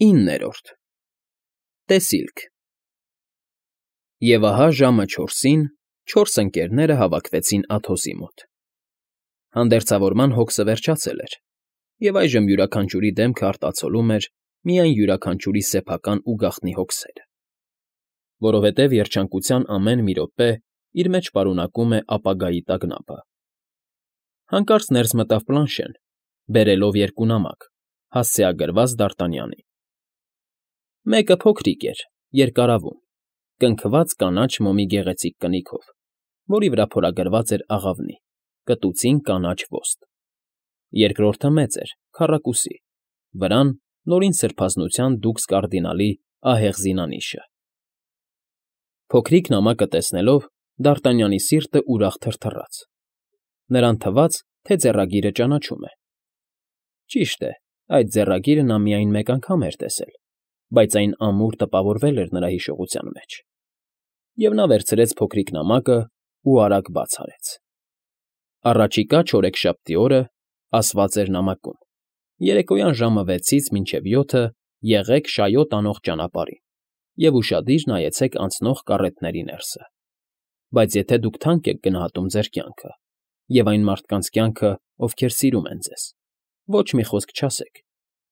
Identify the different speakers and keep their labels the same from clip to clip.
Speaker 1: 9-րդ Տեսիլք Եվ ահա ժամը 4-ին 4 ընկերները հավաքվեցին Աթոսի մոտ. հանդերձավորման հոգսը վերջացել էր, և այժմ յուրաքանչյուրի դեմքը արտացոլում էր միայն յուրաքանչյուրի սեփական ու գաղտնի հոգսերը, որովհետև երջանկության ամեն մի րոպե իր մեջ պարունակում է ապագայի տագնապը։ Հանկարծ ներս մտավ Պլանշեն, բերելով 2 նամակ, հասցեագրված Դ'Արտանյանին։ Մեկը փոքրիկ էր, երկարավուն, կնքված կանաչ մոմի գեղեցիկ կնիքով, որի վրա փորագրված էր աղավնի, կտուցին կանաչ ոստ։ Երկրորդը մեծ էր, քառակուսի, վրան նորին սրբազնության դուքս կարդինալի ահեղ զինանիշը։ Փոքրիկ նամակը տեսնելով Դ'Արտանյանի սիրտը ուրախ թրթռաց. նրան թվաց, թե ձեռագիրը ճանաչում է։ Ճիշտ է, այդ ձեռագիրը նա միայն մեկ անգամ էր տեսել, բայց այն ամուր տպավորվել էր նրա հիշողության մեջ, և նա վերցրեց փոքրիկ նամակն ու արագ բաց արեց։ Առաջիկա չորեքշաբթի օրը, ասված էր նամակում. երեկոյան ժամը 6-ից մինչև 7 եղեք շայոտ անող ճանապարհին և ուշադիր նայեցեք անցնող կառետների ներսը, բայց եթե դուք թանկ եք գնահատում ձեր կյանքը և այն մարդկանց կյանքը, ովքեր սիրում են ձեզ, ոչ մի խոսք չասեք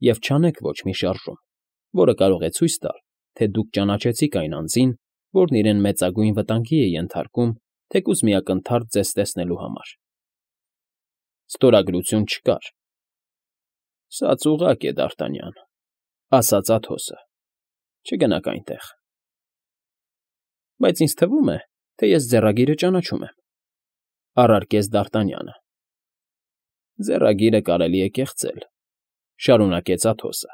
Speaker 1: և չանեք ոչ մի շարժում, որը կարող է ցույց տալ, թե դուք ճանաչեցիք այն անձին, որն իրեն մեծագույն վտանգի է ենթարկում թեկուզ մի ակնթարթ ձեզ տեսնելու համար։ Ստորագրություն չկար։ Սա ծուղակ է, Դ'Արտանյան, ասաց Աթոսը, չգնաք այնտեղ։ Բայց ինձ թվում է, թե ես ձեռագիրը ճանաչում եմ, առարկեց Դ'Արտանյանը։ Ձեռագիրը կարելի է կեղծել, շարունակեց Աթոսը։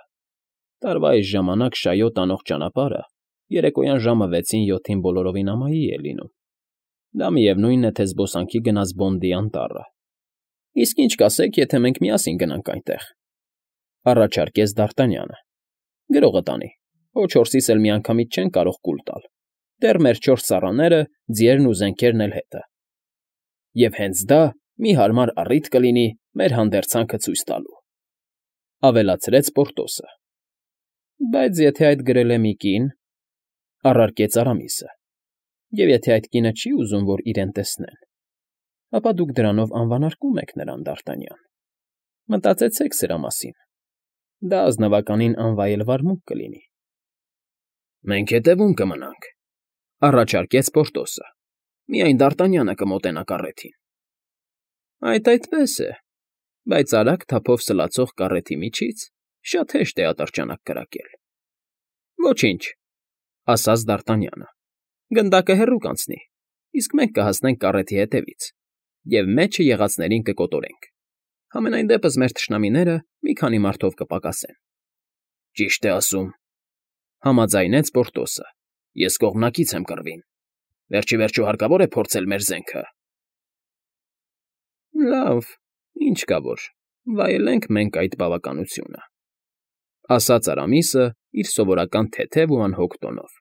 Speaker 1: Տարվա այս ժամանակ շայոտ անող ճանապարհը երեկոյան ժամը 6-ին 7-ին բոլորովին ամայի է լինում։ Դա միևնույն է, թե զբոսանքի գնաց Բոնդի անտառը։ Իսկ ինչ կասեք, եթե մենք միասին գնանք այնտեղ, առաջարկեց Դ'Արտանյանը։ Գրողը տանի, ոչ 4-ից էլ միանգամից չեն կարող կուլ տալ, դեռ մեր 4 ծառաները, ձիերն ու զենքերն էլ հետը։ Եվ հենց դա մի հարմար առիթ կլինի մեր հանդերձանքը ցույց տալու, ավելացրեց Պորտոսը։ Բայց եթե այդ գրել է մի կին, առարկեց Արամիսը, և եթե այդ կինը չի ուզում, որ իրեն տեսնեն, ապա դուք դրանով անվանարկում եք նրան, Դ'Արտանյան։ Մտածեցեք սրա մասին, դա ազնվականին անվայել վարմունք կլինի։ Մենք հետևում կմնանք, առաջարկեց Պորտոսը, միայն Դ'Արտանյանը կմոտենա կառեթին։ Այդպես է, բայց արագ թափով սլացող կառեթի միջից շատ հեշտ է ատրճանակ կրակել։ Ոչինչ, ասաց Դ'Արտանյանը, գնդակը հեռու կանցնի, իսկ մենք կհասնենք կառեթի հետևից և մեջը եղածներին կկոտորենք։ Համենայն դեպս մեր թշնամիները մի քանի մարդով կպակասեն։ Ճիշտ է ասում, համաձայնեց Պորտոսը, ես կողմնակից եմ կռվին։ Վերջիվերջո հարկավոր է փորձել մեր զենքը։ Լավ, ինչ կա որ, վայելենք մենք այդ բավականությունը, ասաց Արամիսը իր սովորական թեթև ու անհոգ տոնով։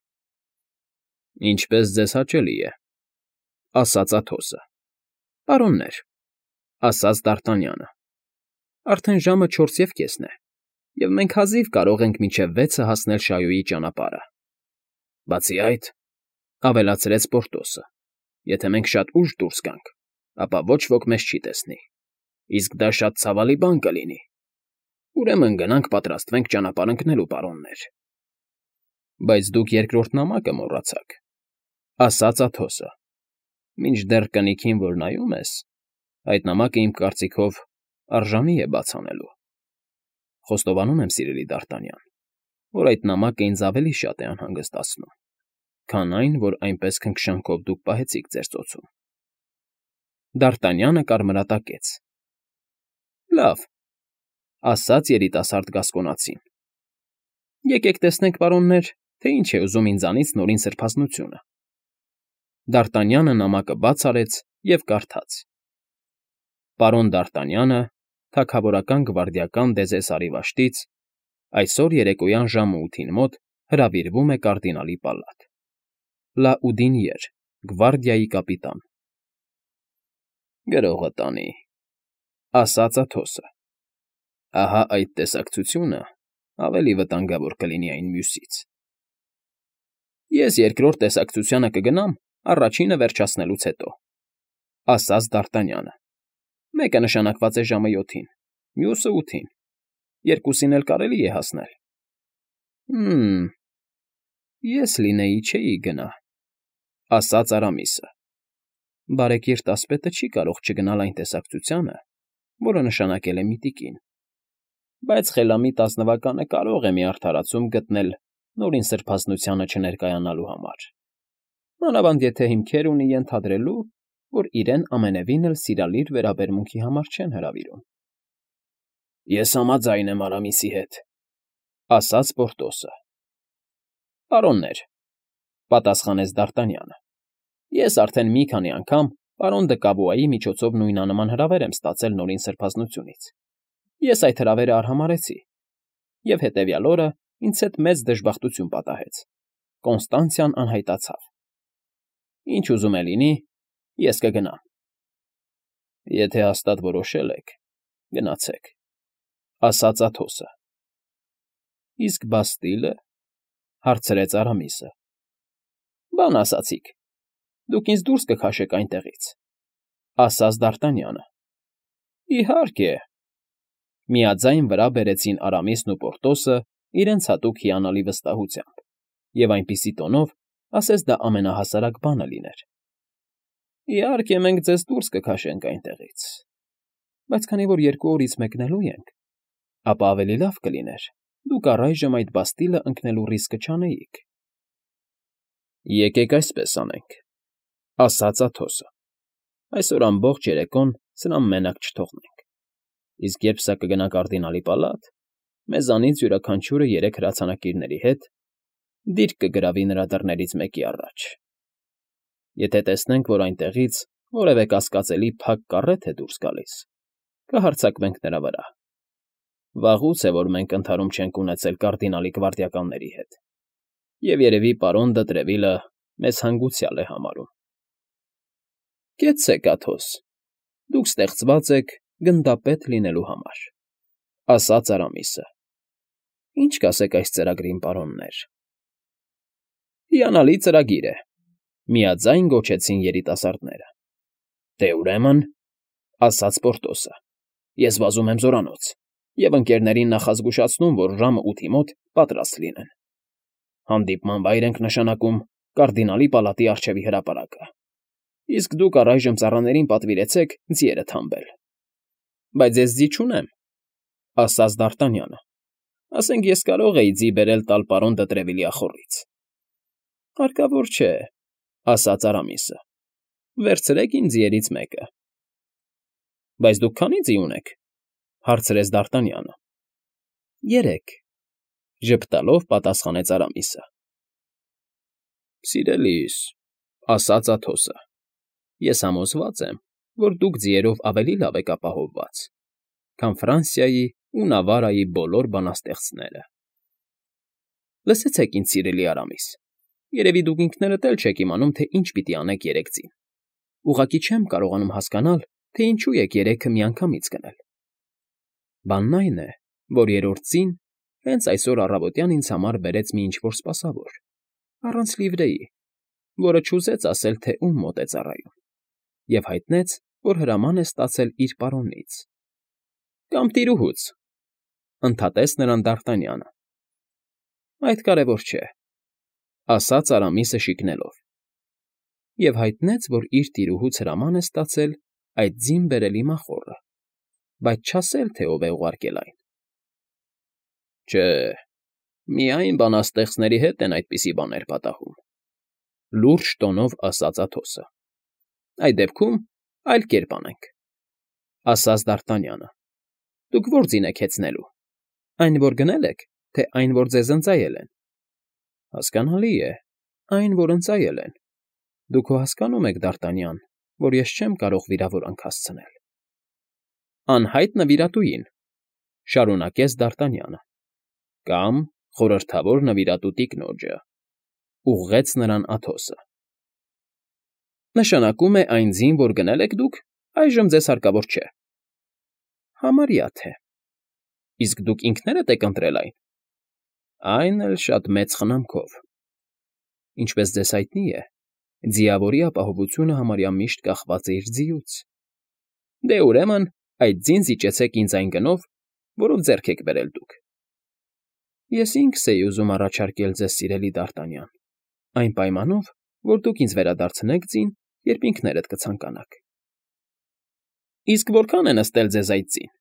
Speaker 1: Ինչպես ձեզ հաճելի է, ասաց Աթոսը։ Պարոններ, ասաց Դ'Արտանյանը, արդեն ժամը 4:04 է, և մենք հազիվ կարող ենք մինչև 6 հասնել Շայոյի ճանապարհը։ Բացի այդ, ավելացրեց Պորտոսը, եթե մենք շատ ուշ դուրս գանք, ապա ոչ ոք մեզ չի տեսնի, իսկ դա շատ ցավալի բան կլինի։ Ուրեմն գնանք պատրաստվենք ճանապարհ ընկնելու, պարոններ։ Բայց դուք երկրորդ նամակը մոռացաք, ասաց Աթոսը։ Մինչդեռ կնիքին, որ նայում ես, այդ նամակը իմ կարծիքով արժանի է բաց անելու։ Խոստովանում եմ, սիրելի Դ'Արտանյան, որ այդ նամակը ինձ ավելի շատ է անհանգստացնում, քան այն, որ այնպես քնքշանքով դուք պահեցիք ձեր ծոցում։ Դ'Արտանյանը կարմրատակեց։ Լավ, ասաց երիտասարդ գասկոնացին։ Եկեք տեսնենք, պարոններ, թե ինչ է ուզում ինձանից նորին սրբազնությունը։ Դ'Արտանյանը նամակը բաց արեց և կարդաց. Պարոն Դ'Արտանյանը, թագավորական գվարդիական Դեզեսարի վաշտից, այսօր երեկոյան ժամը 8-ին մոտ հրավիրվում է կարդինալի պալատ։ Լաուդինիեր, գվարդիայի կապիտան։ Գրողը տանի, ասաց Աթոսը։ Ահա այդ տեսակցությունը ավելի վտանգավոր կլինի այն մյուսից։ Ես երկրորդ տեսակցությանը կգնամ առաջինը վերջացնելուց հետո, ասաց Դ'Արտանյանը։ Մեկը նշանակված է ժամը 7-ին, մյուսը 8-ին, երկուսին էլ կարելի է հասնել։ Ես լինեի չէի գնա, ասաց Արամիսը։ Բարեկիրթ ասպետը չի կարող չգնալ այն տեսակցությանը, որը նշանակել է միտիկին, բայց խելամիտ ազնվականը կարող է մի արդարացում գտնել նորին սրբազնությանը չներկայանալու համար, մանավանդ եթե հիմքեր ունի ենթադրելու, որ իրեն ամենևին էլ սիրալիր վերաբերմունքի համար չեն հրավիրում։ Ես համաձայն եմ Արամիսի հետ, ասաց Պորտոսը։ Պարոններ, պատասխանեց Դ'Արտանյանը, ես արդեն մի քանի անգամ պարոն Դը Կավուայի միջոցով նույնանման հրավեր եմ ստացել նորին սրբազնությունից։ Ես այդ հրավերը արհամարհեցի, և հետևյալ օրը ինձ հետ մեծ դժբախտություն պատահեց. Կոնստանցիան անհայտացավ։ Ինչ ուզում է լինի, ես կգնամ։ Եթե հաստատ որոշել եք, գնացեք, ասաց Աթոսը։ Իսկ Բաստիլը, հարցրեց Արամիսը։ Բան ասացիք, դուք ինձ դուրս կքաշեք այնտեղից, ասաց Դ'Արտանյանը։ Իհարկե։ Միաձայն վրա բերեցին Արամիսն ու Պորտոսը իրենց հատուկ հիանալի վստահությամբ, և այնպիսի տոնով, ասես դա ամենահասարակ բանը լիներ։ Իհարկե, մենք ձեզ դուրս կքաշենք այնտեղից, բայց քանի որ 2 օրից մեկնելու ենք, ապա ավելի լավ կլիներ դուք առայժմ այդ Բաստիլը ընկնելու ռիսկը չանեիք։ Եկեք այսպես անենք, ասաց Աթոսը։ Այսօր ամբողջ երեկոն սրան մենակ չթողնենք, իսկ երբ սա կգնա կարդինալի պալատ, մեզանից յուրաքանչյուրը 3 հրացանակիրների հետ դիրք կգրավի նրա դռներից մեկի առաջ։ Եթե տեսնենք, որ այնտեղից որևէ կասկածելի փակ կառեթ է դուրս գալիս, կհարձակվենք նրա վրա։ Վաղուց է, որ մենք ընդհարում չենք ունեցել կարդինալի գվարդիականների հետ, և երևի պարոն Դը Տրևիլը մեզ հանգուցյալ է համարում։ Կեցցեք, Աթոս, դուք ստեղծված եք գնդապետ լինելու համար, ասաց Արամիսը։ Ինչ կասեք այս ծրագրին, պարոններ։ Հիանալի ծրագիր է, միաձայն գոչեցին երիտասարդները։ Դե ուրեմն, ասաց Պորտոսը, ես վազում եմ զորանոց և ընկերներին նախազգուշացնում, որ ժամը 8-ի մոտ պատրաստ լինեն։ Հանդիպման վայր ենք նշանակում կարդինալի պալատի առջևի հրապարակը, իսկ դուք առայժմ ծառաներին պատվիրեցեք ձիերը թամբել։ Բայց ես ձի չունեմ, ասաց Դ'Արտանյանը։ Ասենք ես կարող էի ձի բերել տալ պարոն Դը Տրևիլի ախոռից։ Հարկավոր չէ, ասաց Արամիսը։ Վերցրեք իմ ձիերից մեկը։ Բայց դուք քանի՞ ձի ունեք, հարցրեց Դ'Արտանյանը։ 3, ժպտալով պատասխանեց Արամիսը։ Սիրելիս, ասաց Աթոսը, ես համոզված եմ, որ դուք ձիերով ավելի լավ եք ապահովված, քան Ֆրանսիայի ու Նավարայի բոլոր բանաստեղծները։ Լսեցեք, ինձ սիրելի Արամիս, երևի դուք ինքներդ էլ չեք իմանում, թե ինչ պիտի անեք 3 ձին։ Ուղղակի չեմ կարողանում հասկանալ, թե ինչու եք 3-ը միանգամից գնել։ Բանն այն է, որ 3-րդ ձին հենց այսօր առավոտյան ինձ համար բերեց մի ինչ֊որ սպասավոր, առանց լիվրեի, որը չուզեց ասել, թե ում մոտ է ծառայում, և հայտնեց, որ հրաման է ստացել իր պարոնից։ Կամ տիրուհուց, ընդհատեց նրան Դ'Արտանյանը։ Այդ կարևոր չէ, ասաց Արամիսը շիկնելով, և հայտնեց, որ իր տիրուհուց հրաման է ստացել այդ ձին բերելի մախոռը, բայց չասել, թե ով է ուղարկել այն։ Չէ, միայն բանաստեղծների հետ են այդպիսի բաներ պատահում, լուրջ տոնով ասաց Աթոսը։ Այդ դեպքում այլ կերպ անենք, ասաց Դ'Արտանյանը։ Դուք ո՞ր ձին եք հեծնելու, այն, որ գնել եք, թե այն, որ ձեզ ընծայել են։ Հասկանալի է, այն, որ ընծայել են։ Դուք հո հասկանում եք, Դ'Արտանյան, որ ես չեմ կարող վիրավորանք հասցնել։ Անհայտ նվիրատուին, շարունակեց Դ'Արտանյանը, կամ խորհրդավոր նվիրատու տիկնոջը, ուղղեց նրան Աթոսը։ Նշանակում է այն ձին, որ գնել եք դուք, այժմ ձեզ հարկավոր չէ։ Համարյա թե։ Իսկ դուք ինքներդ եք ընտրել այն, Այն էլ շատ մեծ խնամքով։ Ինչպես ձեզ հայտնի է, ձիավորի ապահովությունը համարյա միշտ կախված է իր ձիուց։ Դե ուրեմն այդ ձին զիջեցեք ինձ այն գնով, որով ձեռք եք բերել դուք։ Ես ինքս էի ուզում առաջարկել ձեզ, սիրելի Դ'Արտանյան, այն պայմանով, որ դուք ինձ վերադարձնեք ձին, երբ ինքներդ կցանկանաք։ Իսկ որքան է նստել ձեզ այդ ձին։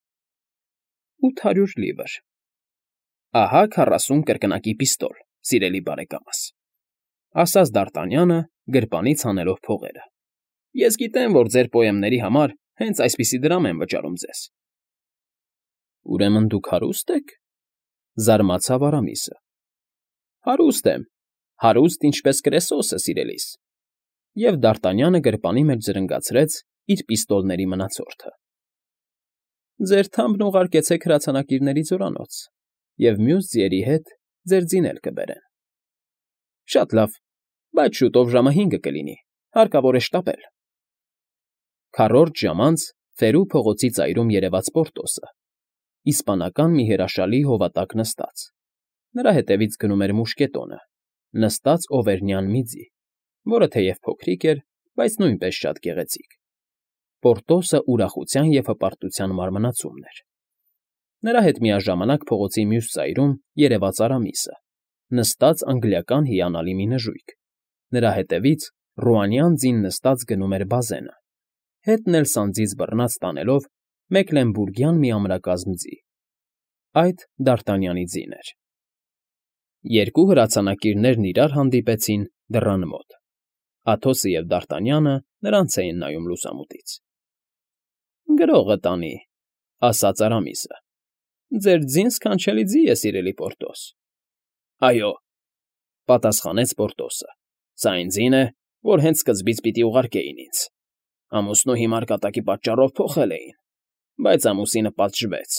Speaker 1: 800 լիվր։ Ահա 40 կրկնակի պիստոլ, սիրելի բարեկամս, ասաց Դ'Արտանյանը, գրպանից հանելով փողերը։ Ես գիտեմ, որ ձեր պոեմների համար հենց այսպիսի դրամ են վճարում ձեզ։ Ուրեմն դուք հարուստ եք, զարմացավ Արամիսը։ Հարուստ եմ, հարուստ ինչպես Կրեսոսը, սիրելիս։ Եվ Դ'Արտանյանը գրպանի մեջ զրնգացրեց իր պիստոլների մնացորդը։ Ձեր թամբն ուղարկեցեք հրացանակիրների զորանոց, և մյուս ձիերի հետ ձեր ձին էլ կբերեն։ Շատ լավ, բայց շուտով ժամը 5 կլինի, հարկավոր է շտապել։ Քառորդ ժամ անց Ֆերու փողոցի ծայրում երևաց Պորտոսը, իսպանական մի հրաշալի հովատակ նստած։ Նրա հետևից գնում էր մուշկետոնը, նստած օվերնյան մի ձի, որը թեև փոքրիկ էր, բայց նույնպես շատ գեղեցիկ։ Պորտոսը ուրախության և հպարտության մարմնացումն էր։ Նրա հետ միաժամանակ փողոցի մյուս ծայրում երևաց Արամիսը, նստած անգլիական հիանալի մի նժույգ։ Նրա հետևից Ռուանյան ձին նստած գնում էր Բազենը, հետն էլ սանձից բռնած տանելով Մեկլենբուրգյան մի ամրակազմ ձի։ Այդ Դ'Արտանյանի ձին էր։ Երկու հրացանակիրներն իրար հանդիպեցին դռան մոտ։ Աթոսը և Դ'Արտանյանը նրանց էին նայում լուսամուտից։ Գրողը տանի, ասաց Արամիսը։ Ձեր ձին սքանչելի ձի է, սիրելի Պորտոս։ Այո, պատասխանեց Պորտոսը։ Սա այն ձին է, որ հենց սկզբից պիտի ուղարկեին ինձ։ Ամուսնու հիմար կատակի պատճառով փոխել էին, բայց ամուսինը պատժվեց,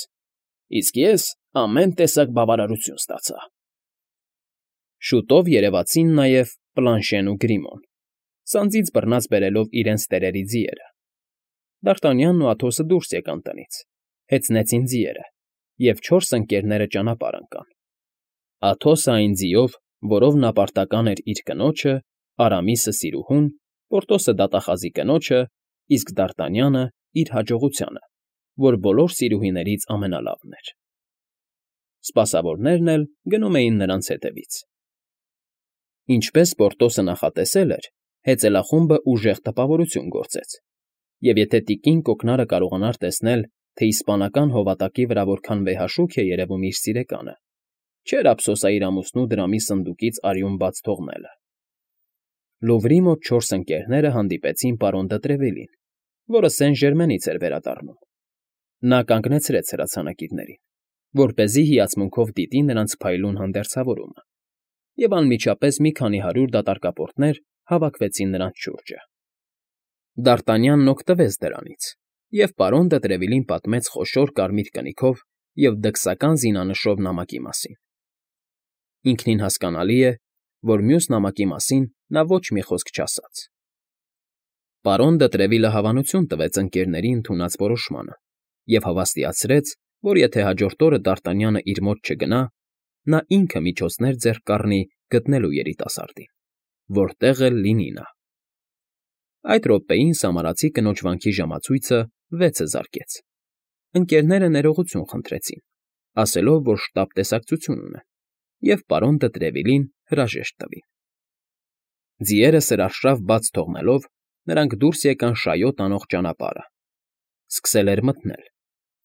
Speaker 1: իսկ ես ամեն տեսակ բավարարություն ստացա։ Շուտով երևացին նաև Պլանշեն ու Գրիմոն, սանձից բռնած բերելով իրենց տերերի ձիերը։ Դ'Արտանյանն ու Աթոսը դուրս եկան տնից, հեծնեցին ձիերը, և 4 ընկերները ճանապարհ ընկան։ Աթոսը այն ձիով, որով նա պարտական էր իր կնոջը, Արամիսը սիրուհուն, Պորտոսը դատախազի կնոջը, իսկ Դ'Արտանյանը իր հաջողությանը, որ բոլոր սիրուհիներից ամենալավն էր։ Սպասավորներն էլ գնում էին նրանց հետևից։ Ինչպես Պորտոսը նախատեսել էր, հեծելախումբը ուժեղ տպավորություն գործեց, և եթե տիկին կոկնարը կարողանար տեսնել, թե իսպանական հովատակի վրա որքան վեհաշուք է երևում իր սիրեկանը, չէր ափսոսա իր ամուսնու դրամի սնդուկից արյուն բաց թողնելը։ Լուվրի մոտ 4 ընկերները հանդիպեցին պարոն Դ'Տրևիլին, որը Սեն֊Ժերմենից էր վերադառնում։ Նա կանգնեցրեց հրացանակիրներին, որպեսզի հիացմունքով դիտի նրանց փայլուն հանդերձավորումը, և անմիջապես մի քանի 100 դատարկապորտներ հավաքվեցին նրանց շուրջը։ Դ'Արտանյանն օգտվեց դրանից, և պարոն Դ'Տրևիլին պատմեց խոշոր կարմիր կնիքով և դքսական զինանշով նամակի մասին։ Ինքնին հասկանալի է, որ մյուս նամակի մասին նա ոչ մի խոսք չասաց։ Պարոն Դ'Տրևիլը հավանություն տվեց ընկերների ընդունած որոշմանը և հավաստիացրեց, որ եթե հաջորդ օրը Դ'Արտանյանը իր մոտ չգնա, նա ինքը միջոցներ ձեռք կառնի գտնելու երիտասարդին, որտեղ էլ լինի նա։ Այդ րոպեին սամարացի կնոջ վանքի ժամացույցը 6-ը զարկեց։ Ընկերները ներողություն խնդրեցին, ասելով, որ շտապ տեսակցություն ունեն, և պարոն Դ'Տրևիլին հրաժեշտ տվին։ Ձիերը սրարշավ բաց թողնելով, նրանք դուրս եկան շայոտ անող ճանապարհը։ Սկսել էր մթնել։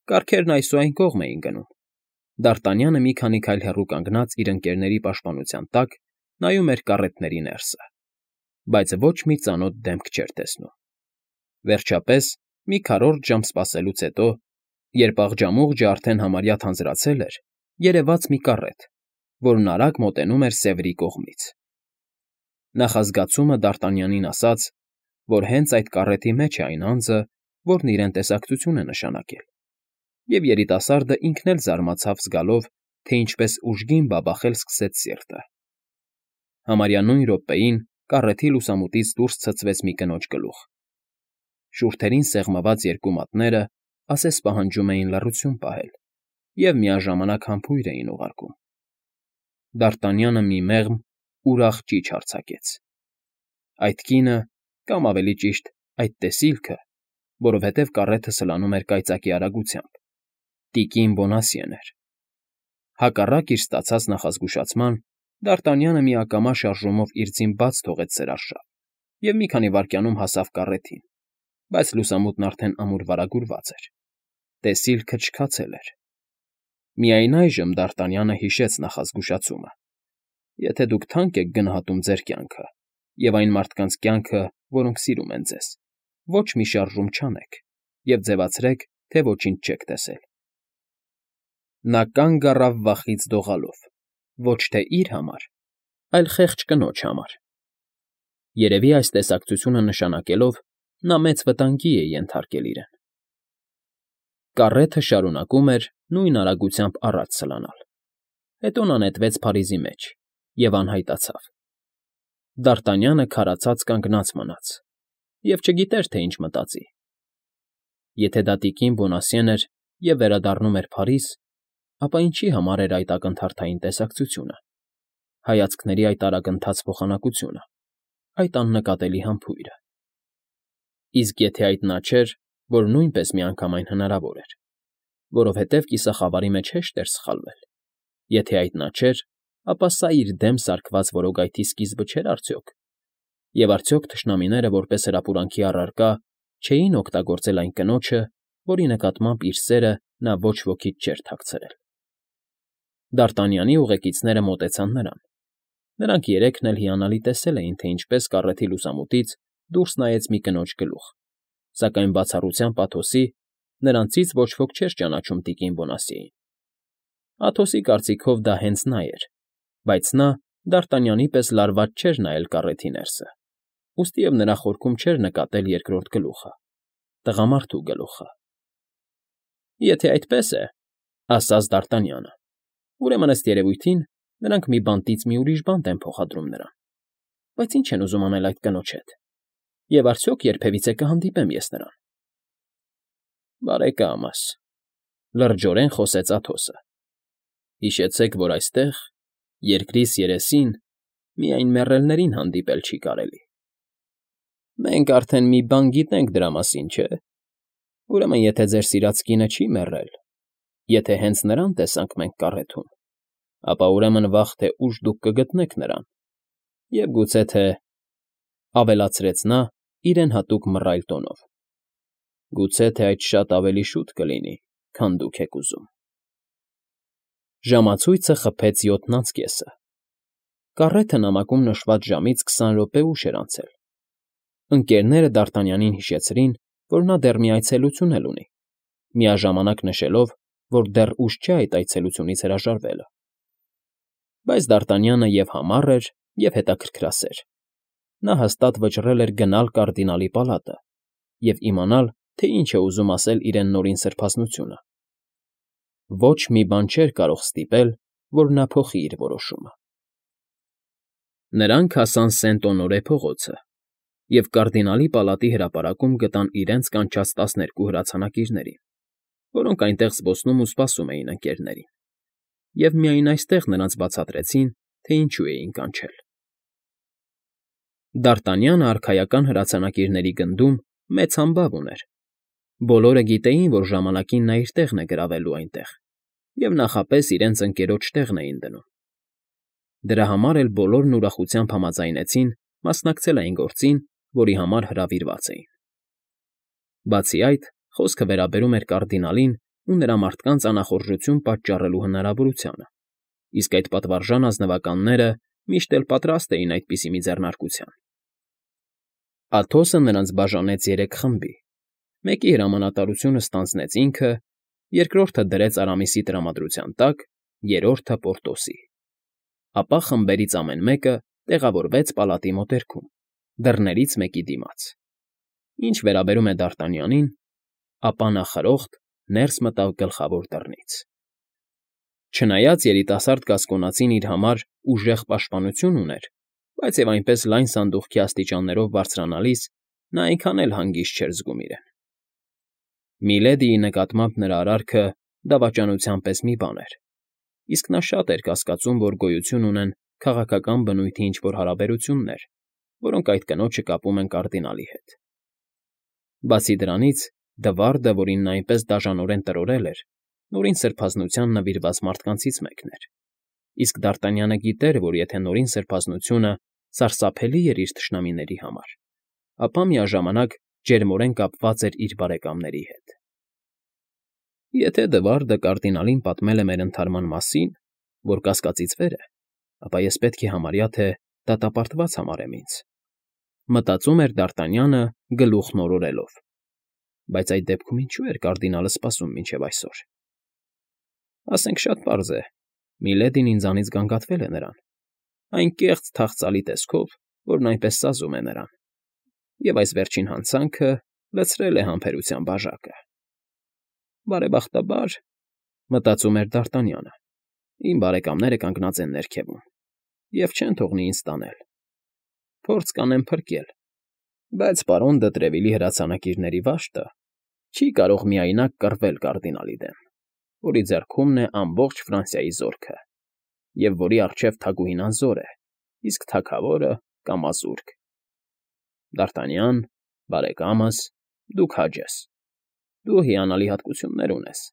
Speaker 1: Կառքերն այսուայն կողմ էին գնում։ Դ'Արտանյանը մի քանի քայլ հեռու կանգնած իր ընկերների պաշտպանության տակ նայում էր կառետների ներսը, բայց ոչ մի ծանոթ դեմք չէր տեսնում։ Վերջապես, մի քառորդ ժամ սպասելուց հետո, երբ աղջամուղջը արդեն համարյա թանձրացել էր, երևաց մի կառետ, որն արագ մոտենում էր Սևրի կողմից։ Նախազգացումը Դ'Արտանյանին ասաց, որ հենց այդ կառետի մեջ է այն անձը, որն իրեն տեսակցություն է նշանակել, և երիտասարդը ինքն էլ զարմացավ զգալով, թե ինչպես ուժգին բաբախել սկսեց սիրտը։ Համարյա նույն րոպեին կառեթի լուսամուտից դուրս ցցվեց մի կնոջ գլուխ։ Շուրթերին սեղմված երկու մատները ասես պահանջում էին լռություն պահել և միաժամանակ համբույր էին ուղարկում։ Դարտանյանը մի մեղմ, ուրախ ճիչ արձակեց. այդ կինը, կամ ավելի ճիշտ, այդ տեսիլքը, որովհետև կառեթը սլանում էր կայծակի արագությամբ, տիկին Բոնասիեն էր։ Հակառակ իր ստացած նախազգուշացման, Դարտանյանը միակամա շարժումով իր ձին բաց թողեց սրարշավ և մի քանի վայրկյանում հասավ կառեթին, բայց լուսամուտն արդեն ամուր վարագուրված էր։ Տեսիլքը չքացել էր։ Միայն այժմ Դարտանյանը հիշեց նախազգուշացումը. եթե դուք թանկ եք գնահատում ձեր կյանքը և այն մարդկանց կյանքը, որոնք սիրում են ձեզ, ոչ մի շարժում չանեք և ձևացրեք, թե ոչինչ չեք տեսել։ Նա կանգ առավ վախից դողալով, ոչ թե իր համար, այլ խեղճ կնոջ համար։ Երևի այս տեսակցությունը նշանակելով, նա մեծ վտանգի է ենթարկել իրեն։ Կառեթը շարունակում էր նույն արագությամբ առաջ սլանալ։ Հետո նա նետվեց Փարիզի մեջ և անհայտացավ։ Դարտանյանը քարացած կանգնած մնաց և չգիտեր, թե ինչ մտածի։ Եթե դա տիկին Բոնասիեն էր և վերադառնում էր Փարիզ, ապա ինչի համար էր այդ ակնթարթային տեսակցությունը, հայացքների այդ արագընթաց փոխանակությունը, այդ աննկատելի համբույրը։ Իսկ եթե այդ նա չէր, որ նույնպես միանգամայն հնարավոր էր, որովհետև կիսախավարի մեջ հեշտ էր սխալվել։ Եթե այդ նա չէր, ապա սա իր դեմ սարքված որոգայթի սկիզբը չէր արդյոք։ Եվ արդյոք թշնամիները որպես հրապուրանքի առարկա չէին օգտագործել այն կնոջը, որի նկատմամբ իր սերը նա ոչ ոքից չէր թաքցրել։ Դարտանյանի ուղեկիցները մոտեցան նրան։ Նրանք երեքն էլ հիանալի տեսել էին, թե ինչպես կառեթի լուսամուտից դուրս նայեց մի կնոջ գլուխ, սակայն բացառությամբ Աթոսի նրանցից ոչ ոք չէր ճանաչում տիկին Բոնասիեին։ Աթոսի կարծիքով դա հենց նա էր, բայց նա Դարտանյանի պես լարված չէր նայել կառեթի ներսը, ուստիև նրա խորքում չէր նկատել երկրորդ գլուխը, տղամարդու գլուխը։ Եթե այդպես է, ասաց Դարտանյանը, ուրեմն ըստ երևույթին նրանք մի բանտից մի ուրիշ բանտ են փոխադրում նրան։ Բայց ինչ են ուզում անել այդ կնոջ հետ։ Եվ արդյոք երբևիցե կհանդիպեմ ես նրան։ Բարեկամս, լրջորեն խոսեց Աթոսը, հիշեցեք, որ այստեղ, երկրիս երեսին, միայն մեռելներին հանդիպել չի կարելի։ Մենք արդեն մի բան գիտենք դրա մասին, չէ՞։ Ուրեմն եթե ձեր սիրած կինը չի մեռել, եթե հենց նրան տեսանք մենք կառեթում, ապա ուրեմն վաղ թե ուշ դուք կգտնեք նրան, և գուցե թե, ավելացրեց նա իրեն հատուկ մռայլ տոնով, գուցե թե այդ շատ ավելի շուտ կլինի, քան դուք եք ուզում։ Ժամացույցը խփեց 7:30։ Կառեթը նամակում նշված ժամից 20 րոպե ուշ էր անցել։ Ընկերները Դարտանյանին հիշեցրին, որ նա դեռ մի այցելություն էլ ունի, միաժամանակ նշելով, որ դեռ ուշ չէ այդ այցելությունից հրաժարվելը։ Բայց Դարտանյանը և համառ էր, և հետաքրքրասեր։ Նա հաստատ վճռել էր գնալ կարդինալի պալատը և իմանալ, թե ինչ է ուզում ասել իրեն նորին սրբազնությունը։ Ոչ մի բան չէր կարող ստիպել, որ նա փոխի իր որոշումը։ Նրանք հասան Սենտ֊Օնորե փողոցը և կարդինալի պալատի հրապարակում գտան իրենց կանչած 12 հրացանակիրներին, որոնք այնտեղ զբոսնում ու սպասում էին ընկերներին, և միայն այստեղ նրանց բացատրեցին, թե ինչու էին կանչել։ Դարտանյանը արքայական հրացանակիրների գնդում մեծ համբավ ուներ։ Բոլորը գիտեին, որ ժամանակին նա իր տեղն է գրավելու այնտեղ, և նախապես իրենց ընկերոջ տեղն էին դնում։ Դրա համար էլ բոլորն ուրախությամբ համաձայնեցին մասնակցել այն գործին, որի համար հրավիրված էին։ Բացի այդ, խոսքը վերաբերում էր կարդինալին ու նրա մարդկանց անախորժություն պատճառելու հնարավորությանը, իսկ այդ պատվարժան ազնվականները միշտ էլ պատրաստ էին այդպիսի մի ձեռնարկության։ Աթոսը նրանց բաժանեց 3 խմբի, մեկի հրամանատարությունը ստանձնեց ինքը, երկրորդը դրեց Արամիսի տրամադրության տակ, երրորդը՝ Պորտոսի։ Ապա խմբերից ամեն մեկը տեղավորվեց պալատի մոտերքում, դռներից մեկի դիմաց։ Ինչ վերաբերում է Դարտանյանին, ապա նա խրոխտ ներս մտավ գլխավոր դռնից։ Չնայած երիտասարդ գասկոնացին իր համար ուժեղ պաշտպանություն ուներ, բայց և այնպես լայն սանդուղքի աստիճաններով բարձրանալիս նա այնքան էլ հանգիստ չէր զգում իրեն։ Միլեդիի նկատմամբ նրա արարքը դավաճանության պես մի բան էր, իսկ նա շատ էր կասկածում, որ գոյություն ունեն քաղաքական բնույթի ինչ-որ հարաբերություններ, որոնք այդ կնոջը կապում են կարդինալի հետ։ Բացի դրանից, Դվարդը, որին նա այնպես դաժանորեն տրորել էր, նորին սրբազնության նվիրված մարդկանցից մեկն էր, իսկ Դարտանյանը գիտեր, որ եթե նորին սրբազնությունը սարսափելի էր իր թշնամիների համար, ապա միաժամանակ ջերմորեն կապված էր իր բարեկամների հետ։ Եթե Դվարդը կարդինալին պատմել է մեր ընթարման մասին, որ կասկածից վեր է, ապա ես պետք է համարյա թե դատապարտված համարեմ ինձ, մտածում էր Դարտանյանը գլուխն օրորելով, բայց այդ դեպքում ինչու էր կարդինալը սպասում մինչև այսօր։ Ասենք շատ պարզ է, Միլեդին ինձանից գանգատվել է նրան, այն կեղծ թախծալի տեսքով, որն այնպես սազում է նրան, և այս վերջին հանցանքը լցրել է համբերության բաժակը։ Բարեբախտաբար, մտածում էր Դարտանյանը, իմ բարեկամները կանգնած են ներքևում և չեն թողնի ինձ տանել։ Փորձ կանեմ փրկել, բայց պարոն դը Տրևիլի հրացանակիրների վաշտը չի կարող միայնակ կռվել կարդինալի դեմ, որի ձեռքումն է ամբողջ Ֆրանսիայի զորքը, և որի առջև թագուհին անզոր է, իսկ թագավորը կամազուրկ։ Դարտանյան, բարեկամս, դու քաջ ես, դու հիանալի հատկություններ ունես,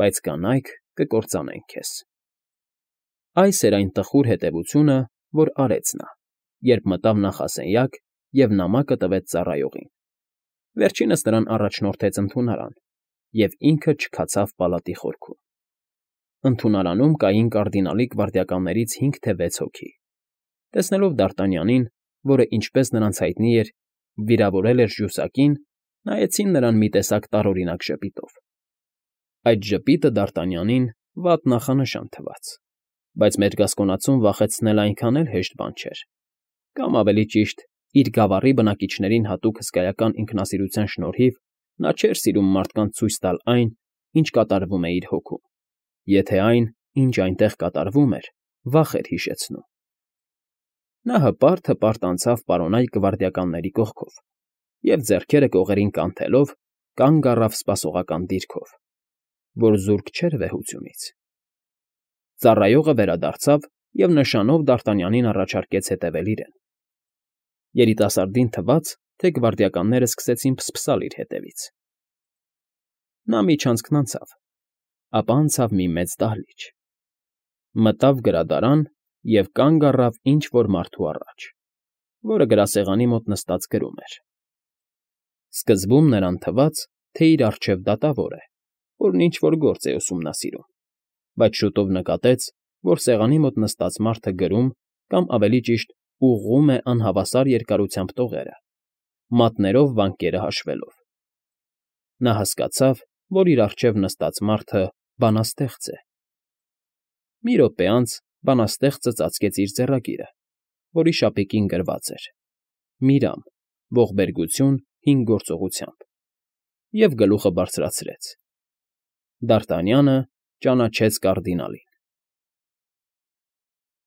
Speaker 1: բայց կանայք կկործանեն քեզ։ Այս էր այն տխուր հետևությունը, որ արեց նա, երբ մտավ նախասենյակ և նամակը տվեց ծառայողին։ Վերջինս նրան առաջնորդեց ընդունարան, և ինքը չքացավ պալատի խորքում։ Ընդունարանում կային կարդինալի գվարդիականներից 5 թե 6 հոգի։ Տեսնելով Դարտանյանին, որը, ինչպես նրանց հայտնի էր, վիրավորել էր ժյուսակին, նայեցին նրան մի տեսակ տարօրինակ ժպիտով։ Այդ ժպիտը Դարտանյանին վատ նախանշան թվաց, բայց մերգասկոնացուն վախեցնելը այնքան էլ հեշտ բան չէր, կամ ավելի ճիշտ, իր գավառի բնակիչներին հատուկ հսկայական ինքնասիրության շնորհիվ նա չէր սիրում մարդկանց ցույց տալ այն, ինչ կատարվում է իր հոգում, եթե այն, ինչ այնտեղ կատարվում էր, վախ էր հիշեցնում։ Նա հպարտ անցավ պարոնայք գվարդիականների կողքով և ձեռքերը կողերին կանթելով կանգ առավ սպասողական դիրքով, որ զուրկ չէր վեհությունից։ Ծառայողը վերադարձավ և նշանով Դարտանյանին առաջարկեց հետևել իրեն։ Երիտասարդին թվաց, թե գվարդիականները սկսեցին փսփսալ իր հետևից։ Նա միջանցքն անցավ, ապա անցավ մի մեծ դահլիճ, մտավ գրադարան և կանգ առավ ինչ֊որ մարդու առաջ, որը գրասեղանի մոտ նստած գրում էր։ Սկզբում նրան թվաց, թե իր առջև դատավոր է, որն ինչ֊որ գործ է ուսումնասիրում, բայց շուտով նկատեց, որ սեղանի մոտ նստած մարդը գրում կամ ավելի ճիշտ ուղղում է անհավասար երկարությամբ տողերը, մատներով վանկերը հաշվելով։ Նա հասկացավ, որ իր առջև նստած մարդը բանաստեղծ է։ Մի րոպե անց բանաստեղծը ծածկեց իր ձեռագիրը, որի շապիկին գրված էր. «Միրամ, ողբերգություն 5 գործողությամբ», և գլուխը բարձրացրեց։ Դարտանյանը ճանաչեց կարդինալին։